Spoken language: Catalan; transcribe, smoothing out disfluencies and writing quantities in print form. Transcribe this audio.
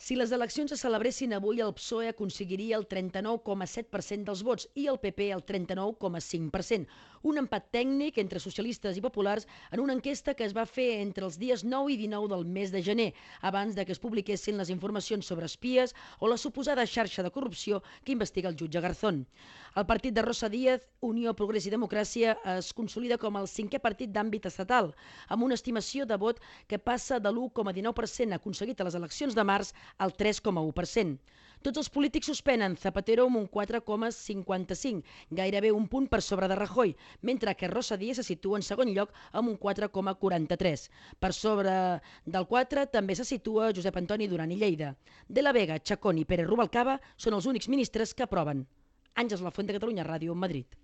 Si les eleccions se celebressin avui, el PSOE aconseguiria el 39,7% dels vots i el PP el 39,5%. Un empat tècnic entre socialistes i populars en una enquesta que es va fer entre els dies 9 i 19 del mes de gener, abans de que es publiquessin les informacions sobre espies o la suposada xarxa de corrupció que investiga el jutge Garzón. El partit de Rosa Díez, Unió, Progrés i Democràcia, es consolida com el cinquè partit d'àmbit estatal, amb una estimació de vot que passa de l'1,19% aconseguit a les eleccions de març al 3,1%. Tots els polítics suspenen, Zapatero amb un 4,55, gairebé un punt per sobre de Rajoy, mentre que Rosa Díez se situa en segon lloc amb un 4,43. Per sobre del 4 també se situa Josep Antoni Duran i Lleida. De la Vega, Chacón i Pérez Rubalcaba són els únics ministres que aproven. Àngels Lafuente, Catalunya Ràdio, Madrid.